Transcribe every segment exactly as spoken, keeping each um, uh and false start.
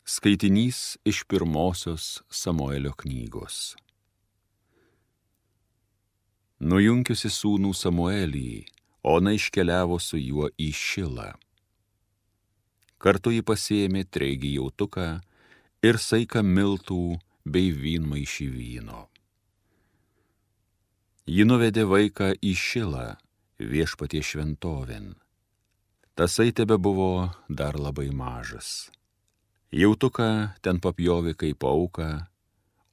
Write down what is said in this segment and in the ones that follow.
Skaitinys iš pirmosios Samuelio knygos. Nujunkiusi sūnų Samuelį, Ona iškeliavo su juo į Šilą. Kartu ji pasėmė treigį jautuką ir saiką miltų bei vynmaišį vyno. Ji nuvedė vaiką į Šilą, Viešpaties šventovėn. Tasai tebebuvo dar labai mažas. Jautuką ten papjovė kaip auką,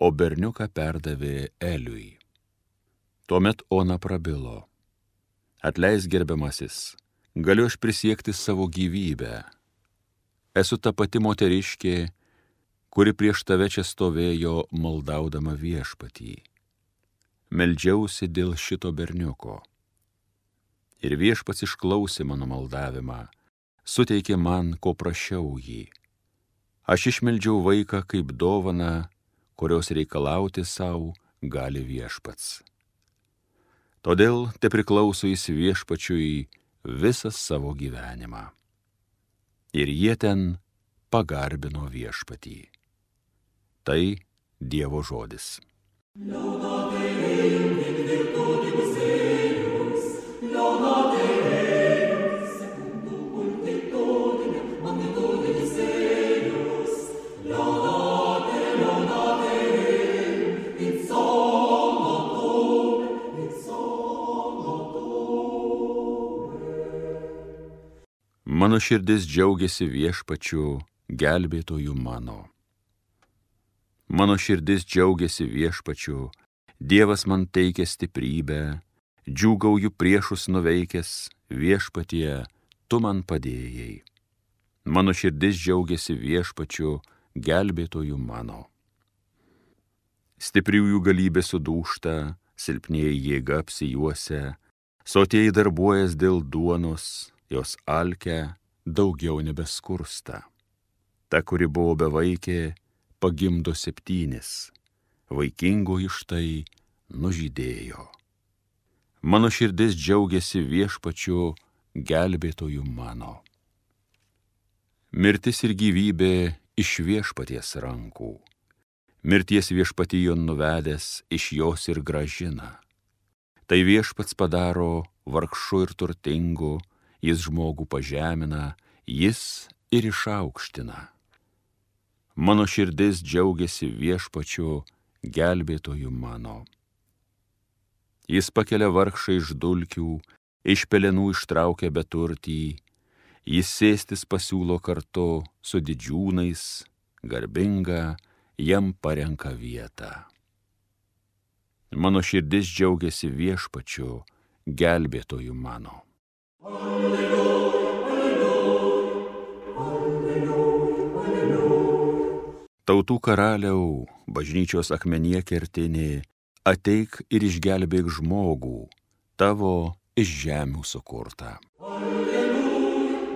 o berniuką perdavė Eliui. Tuomet Ona prabilo: Atleisk, gerbiamasis, galiu aš prisiekti savo gyvybę. Esu ta pati moteriškė, kuri prieš tave čia stovėjo maldaudama Viešpatį. Meldžiausi dėl šito berniuko. Ir Viešpats išklausė mano maldavimą, suteikė man, ko prašiau jį. Aš išmeldžiau vaiką kaip dovaną, kurios reikalauti savo gali Viešpats. Todėl te priklauso jis Viešpačiui visą savo gyvenimą. Ir jie ten pagarbino Viešpatį. Tai Dievo žodis. Mano širdis džiaugiasi Viešpačiu, gelbėtoju mano. Mano širdis džiaugiasi Viešpačiu, Dievas man teikia stiprybę, džiūgauju priešus nuveikęs, Viešpatie, tu man padėjai. Mano širdis džiaugiasi Viešpačiu, gelbėtoju mano. Stipriųjų galybė sudūžta, silpnieji jėga apsijuosia, sotieji darbuojas dėl duonos, jos alkę daugiau nebeskursta. Ta, kuri buvo bevaikė, pagimdo septynis, vaikingoji štai nužydėjo. Mano širdis džiaugiasi Viešpačiu, gelbėtoju mano. Mirtis ir gyvybė iš Viešpaties rankų. Mirties Viešpatijon nuvedęs iš jos ir grąžina. Tai Viešpats padaro vargšu ir turtingu, jis žmogų pažemina, jis ir išaukština. Mano širdis džiaugiasi Viešpačiu, gelbėtoju mano. Jis pakelia vargšą iš dulkių, iš pelenų ištraukia beturtį, jis sėstis pasiūlo kartu su didžiūnais, garbinga jam parenka vietą. Mano širdis džiaugiasi Viešpačiu, gelbėtoju mano. Alleluja, alleluja, alleluja, alleluja. Tautų karaliau, bažnyčios akmenyje kertinė, ateik ir išgelbėk žmogų, tavo iš žemių sukurtą. Alleluja,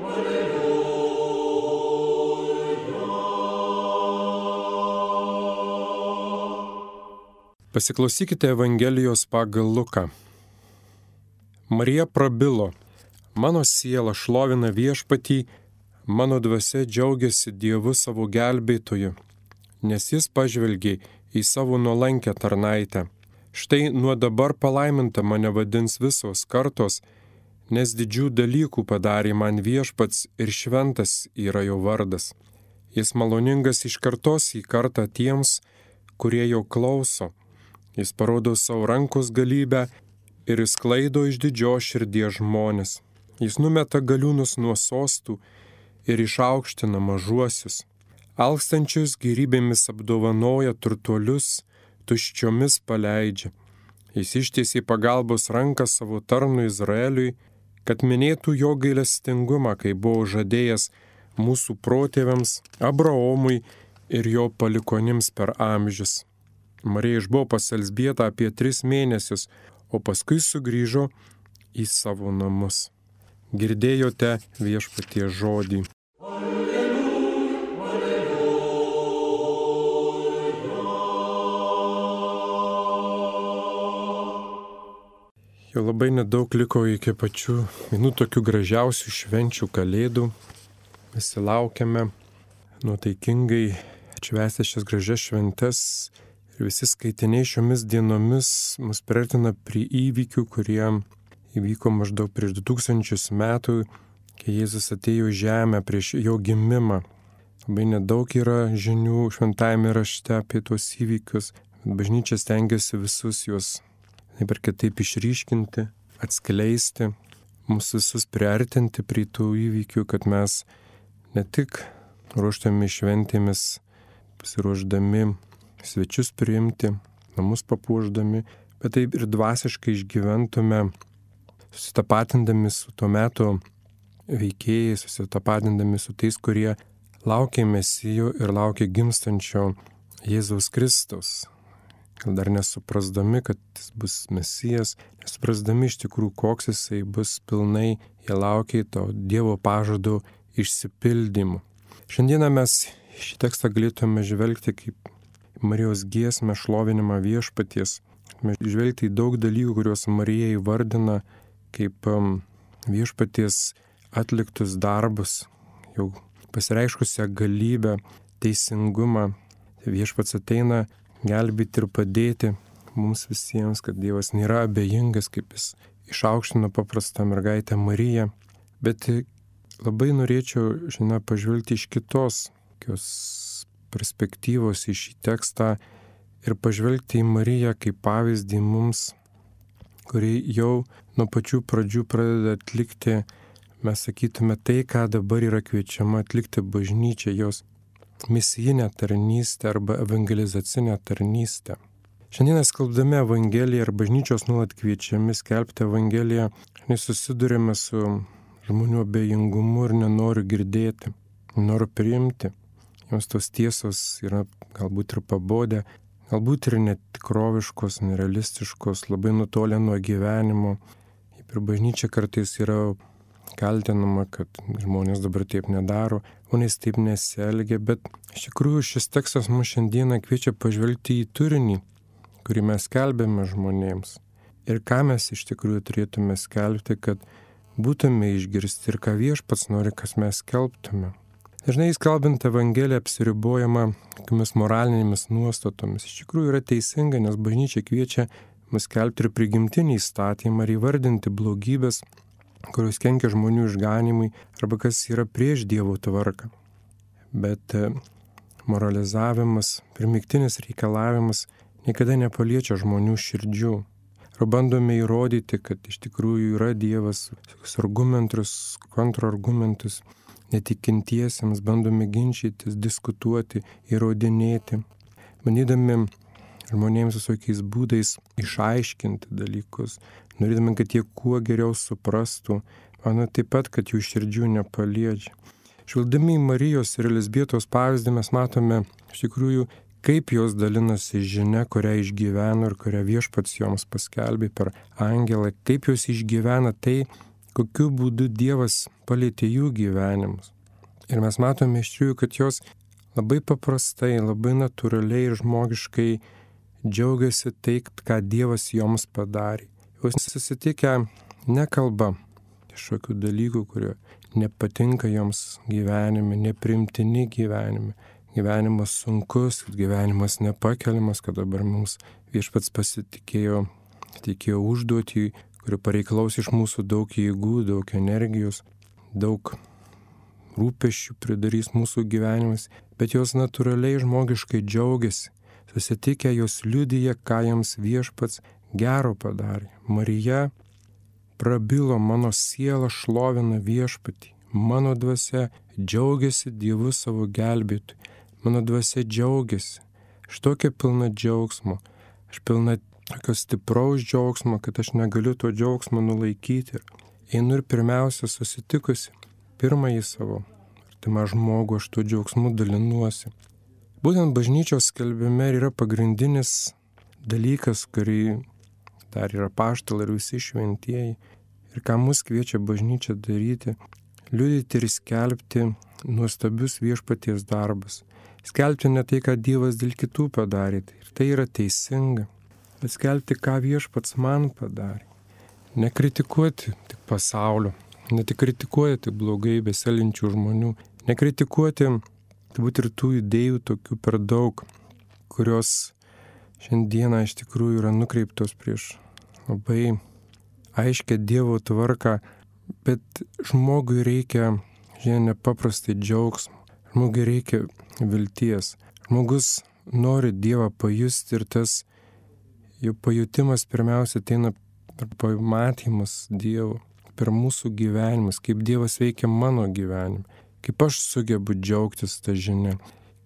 alleluja. Pasiklausykite Evangelijos pagal Luką. Marija prabilo: Mano siela šlovina Viešpatį, mano dvasia džiaugiasi Dievu savo gelbėtoju, nes jis pažvelgė į savo nuolankę tarnaitę. Štai nuo dabar palaiminta mane vadins visos kartos, nes didžių dalykų padarė man Viešpats ir šventas yra jo vardas. Jis maloningas iš kartos į kartą tiems, kurie jo klauso. Jis parodo savo rankos galybę ir išsklaido iš didžios širdies žmonės. Jis numeta galiūnus nuo sostų ir išaukština mažuosius. Alkstančius gėrybėmis apdovanoja turtuolius, tuščiomis paleidžia. Jis ištiesė pagalbos ranką savo tarnui Izraeliui, kad minėtų jo gailestingumą, kai buvo žadėjęs mūsų protėviams, Abraomui ir jo palikonims per amžius. Marija išbuvo pas Elzbietą apie tris mėnesius, o paskui sugrįžo į savo namus. Girdėjote Viešpaties žodį. Alleluja, Jau labai nedaug liko iki pačių vienų tokių gražiausių švenčių Kalėdų. Visi laukiame. nuotaikingai atšvęsti šias gražias šventes. Ir visi skaitiniai šiomis dienomis mus priartina prie įvykių, kurie įvyko maždaug prieš du tūkstančius metų, kai Jėzus atėjo į žemę prieš jo gimimą. Labai nedaug yra žinių šventajame rašte apie tuos įvykius. Bažnyčia stengiasi visus juos taip ir kitaip išryškinti, atskleisti, mus visus priartinti prie tų įvykių, kad mes ne tik ruoštami šventėmis, pasiruošdami svečius priimti, namus papuošdami, bet taip ir dvasiškai išgyventume, susitapatindami su tuo metu veikėjais, susitapatindami su tais, kurie laukia Mesijo ir laukia gimstančio Jėzaus Kristaus. Gal dar nesuprasdami, kad jis bus Mesijas, nesuprasdami iš tikrųjų, koks jisai bus pilnai, jie laukia to Dievo pažado išsipildymu. Šiandieną mes šį tekstą galėtume žvelgti kaip Marijos giesmę šlovinimą viešpaties. Mes žvelgti į daug dalykų, kuriuos Marija įvardina kaip um, viešpaties atliktus darbus, jau pasireiškusią galybę, teisingumą. Viešpats ateina gelbėti ir padėti mums visiems, kad Dievas nėra abejingas, kaip jis išaukštino paprastą mergaitę Mariją. Bet labai norėčiau šiandien pažvelgti iš kitos tokios perspektyvos į šį tekstą ir pažvelgti į Mariją kaip pavyzdį mums, kuri jau nuo pačių pradžių pradeda atlikti, mes sakytume, tai, ką dabar yra kviečiama atlikti bažnyčia, jos misijinę tarnystę arba evangelizacinę tarnystę. Šiandien skelbdami Evangeliją ir bažnyčios nuolat kviečiami skelbti Evangeliją, susidurėme su žmonių abejingumu ir nenoriu girdėti, noriu priimti. Jums tos tiesos yra galbūt ir pabodę, galbūt ir netikroviškos, nerealistiškos, labai nutolę nuo gyvenimo. Ir bažnyčia kartais yra kaltinama, kad žmonės dabar taip nedaro, žmonės taip nesielgia, bet iš tikrųjų šis tekstas mus šiandieną kviečia pažvelgti į turinį, kurį mes skelbėme žmonėms. Ir ką mes iš tikrųjų turėtume skelbti, kad būtume išgirsti ir ką Viešpats nori, kas mes skelbtume. Dažnai skelbiant Evangeliją apsiribojama tokiamis moralinėmis nuostatomis. Iš tikrųjų yra teisinga, nes bažnyčia kviečia mus skelbti ir prigimtinį įstatymą ir įvardinti blogybės, kurios kenkia žmonių išganimui arba kas yra prieš Dievo tvarką. Bet moralizavimas, primygtinis reikalavimas niekada nepaliečia žmonių širdžių. Ar bandome įrodyti, kad iš tikrųjų yra Dievas, argumentus, kontrargumentus, netikintiesiems bandome ginčytis, diskutuoti, įrodinėti, bandydami žmonėms visokiais būdais išaiškinti dalykus, norėdami, kad jie kuo geriau suprastų, mano taip pat, kad jų širdžių nepaliečia. Žvelgdami į Marijos ir Elizbietos pavyzdį mes matome iš tikrųjų, kaip jos dalinasi žinia, kurią išgyveno ir kurią Viešpats joms paskelbė per angelą, kaip jos išgyvena tai, kokiu būdu Dievas palietė jų gyvenimus. Ir mes matome iš tikrųjų, kad jos labai paprastai, labai natūraliai ir žmogiškai džiaugiasi tai, ką Dievas joms padarė. Jos susitikę nekalba kažkokių dalykų, kurie nepatinka joms gyvenime, neprimtini gyvenime. Gyvenimas sunkus, gyvenimas nepakeliamas, kad dabar mums Viešpats pasitikėjo, tikėjo užduotį, kuri pareikalaus iš mūsų daug jėgų, daug energijos, daug rūpesčių pridarys mūsų gyvenimas, bet jos natūraliai žmogiškai džiaugiasi. Susitikę jos liudija, ką jiems Viešpats gero padarė. Marija prabilo, mano siela šlovina Viešpatį, mano dvasia džiaugiasi Dievu savo gelbėtoju, mano dvasia džiaugiasi. Aš tokia pilna džiaugsmo, aš pilna tokio stipraus džiaugsmo, kad aš negaliu to džiaugsmo nulaikyti. Einu ir pirmiausia susitikusi pirmąjį savo artimą žmogų, aš tuo džiaugsmu dalinuosi. Būtent bažnyčios skelbime yra pagrindinis dalykas, kurį dar yra apaštalai ir visi šventieji. Ir ką mus kviečia bažnyčia daryti, liudyti ir skelbti nuostabius Viešpaties darbus. Skelbti ne tai, ką Dievas dėl kitų padarė, ir tai yra teisinga, bet skelbti, ką Viešpats man padarė. Nekritikuoti tik pasaulio, ne tik kritikuoti blogai besielgiančių žmonių, nekritikuoti turbūt ir tų idėjų tokių per daug, kurios šiandieną iš tikrųjų yra nukreiptos prieš labai aiškę Dievo tvarką, bet žmogui reikia, žinai, nepaprastai džiaugsmo, žmogui reikia vilties. Žmogus nori Dievą pajusti ir tas jo pajutimas pirmiausia ateina per pamatymus Dievo, per mūsų gyvenimus, kaip Dievas veikia mano gyvenime, kaip aš sugebu džiaugtis tą žinią,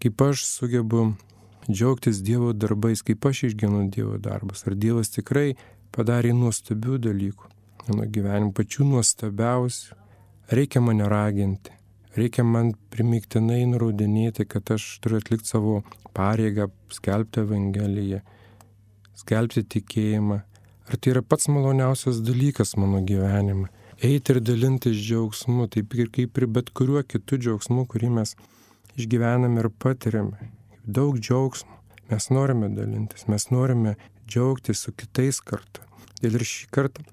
kaip aš sugebu džiaugtis Dievo darbais, kaip aš išgyvenu Dievo darbus. Ar Dievas tikrai padarė nuostabių dalykų mano gyvenime, pačių nuostabiausių. Reikia mane raginti, reikia man primygtinai nurodinėti, kad aš turiu atlikti savo pareigą, skelbti Evangeliją, skelbti tikėjimą. Ar tai yra pats maloniausias dalykas mano gyvenime? Eiti ir dalintis džiaugsmu, taip ir kaip ir bet kuriuo kitu džiaugsmu, kurį mes išgyvename ir patiriame. Daug džiaugsmo. Mes norime dalintis, mes norime džiaugtis su kitais kartu. Ir šį kartą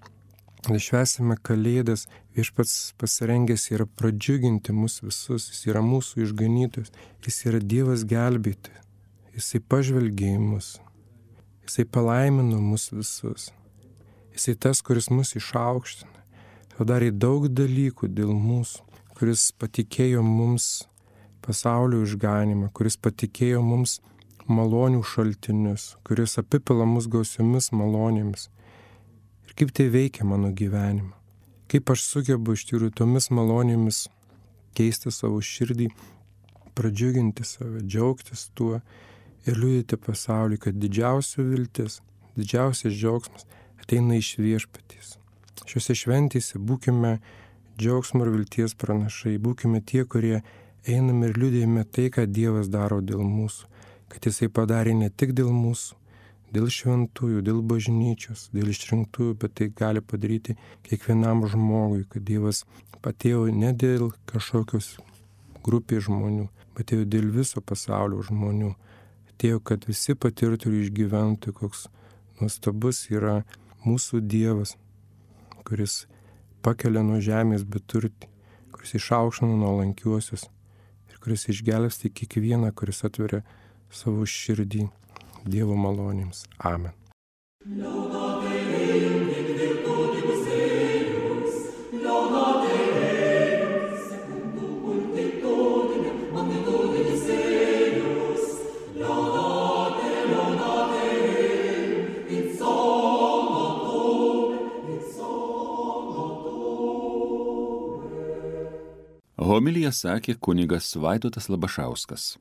švęsime Kalėdas, Viešpats pasirengęs yra pradžiuginti mus visus, jis yra mūsų išganytojas, jis yra Dievas gelbėtojas, jisai pažvelgė į mus, jisai palaimino mus visus, jisai tas, kuris mus išaukština, padarė daug dalykų dėl mūsų, kuris patikėjo mums pasaulio išganimą, kuris patikėjo mums malonių šaltinius, kuris apipila mus gausiomis malonėmis. Ir kaip tai veikia mano gyvenimą? Kaip aš sugebu iš tikrųjų tomis malonėmis keisti savo širdį, pradžiuginti save, džiaugtis tuo ir liudyti pasauliui, kad didžiausia viltis, didžiausias džiaugsmas ateina iš Viešpaties. Šiuose šventėse būkime džiaugsmo ir vilties pranašai, būkime tie, kurie einame ir liudijame tai, ką Dievas daro dėl mūsų, kad Jisai padarė ne tik dėl mūsų, dėl šventųjų, dėl bažnyčios, dėl išrinktųjų, bet tai gali padaryti kiekvienam žmogui, kad Dievas atėjo ne dėl kažkokios grupės žmonių, bet atėjo dėl viso pasaulio žmonių. Atėjo, kad visi patirtų ir išgyventų, koks nuostabus yra mūsų Dievas, kuris pakelia nuo žemės beturtį, kuris išaukština nuolankiuosius ir kuris išgelbsti kiekvieną, kuris atveria savo širdį Dievo malonėms. Amen. Homiliją sakė kunigas Vaidotas Labašauskas.